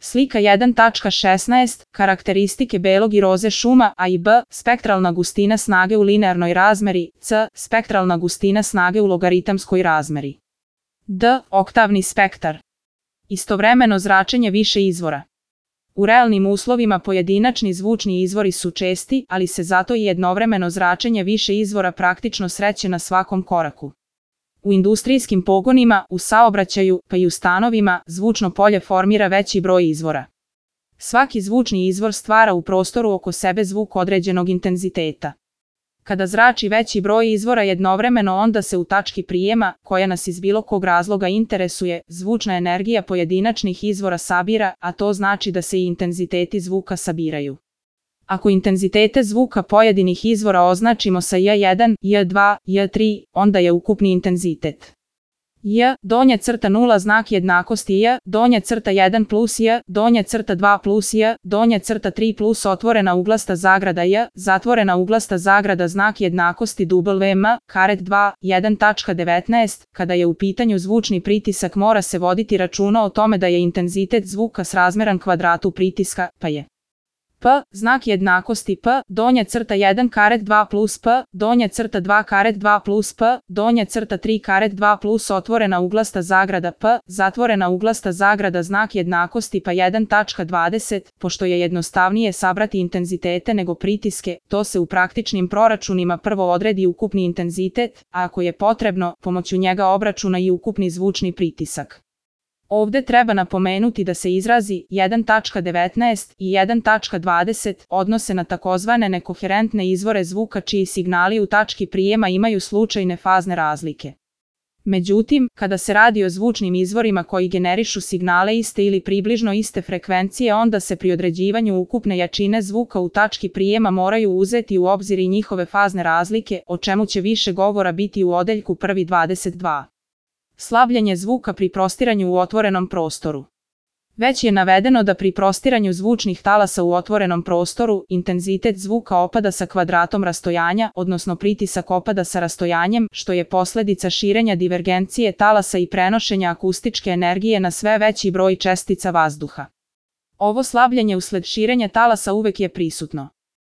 Slika 1.16. Karakteristike belog i roze šuma A i B. Spektralna gustina snage u linearnoj razmeri. C. Spektralna gustina snage u logaritamskoj razmeri. D. Oktavni spektar. Istovremeno zračenje više izvora. U realnim uslovima pojedinačni zvučni izvori su česti, ali se zato i jednovremeno zračenje više izvora praktično sreće na svakom koraku. U industrijskim pogonima, u saobraćaju, pa i u stanovima, zvučno polje formira veći broj izvora. Svaki zvučni izvor stvara u prostoru oko sebe zvuk određenog intenziteta. Kada zrači veći broj izvora jednovremeno, onda se u tački prijema, koja nas iz bilo kog razloga interesuje, zvučna energija pojedinačnih izvora sabira, a to znači da se i intenziteti zvuka sabiraju. Ako intenzitete zvuka pojedinih izvora označimo sa J1, J2, J3, onda je ukupni intenzitet J, donja crta 0 znak jednakosti J, donja crta 1 plus J, donja crta 2 plus J, donja crta 3 plus otvorena uglasta zagrada J, zatvorena uglasta zagrada znak jednakosti WM, karet 2, 1.19. Kada je u pitanju zvučni pritisak mora se voditi računa o tome da je intenzitet zvuka srazmeran kvadratu pritiska, pa je P, znak jednakosti P, donja crta 1 karet 2 plus P, donja crta 2 karet 2 plus P, donja crta 3 karet 2 plus otvorena uglasta zagrada P, zatvorena uglasta zagrada znak jednakosti pa 1.20, pošto je jednostavnije sabrati intenzitete nego pritiske, to se u praktičnim proračunima prvo odredi ukupni intenzitet, a ako je potrebno, pomoću njega obračuna i ukupni zvučni pritisak. Ovde treba napomenuti da se izrazi 1.19 i 1.20 odnose na takozvane nekoherentne izvore zvuka čiji signali u tački prijema imaju slučajne fazne razlike. Međutim, kada se radi o zvučnim izvorima koji generišu signale iste ili približno iste frekvencije, onda se pri određivanju ukupne jačine zvuka u tački prijema moraju uzeti u obzir i njihove fazne razlike, o čemu će više govora biti u odeljku 1.22. Slabljenje zvuka pri prostiranju u otvorenom prostoru. Već je navedeno da pri prostiranju zvučnih talasa u otvorenom prostoru, intenzitet zvuka opada sa kvadratom rastojanja, odnosno pritisak opada sa rastojanjem, što je posledica širenja divergencije talasa i prenošenja akustičke energije na sve veći broj čestica vazduha. Ovo slabljenje usled širenja talasa uvek je prisutno.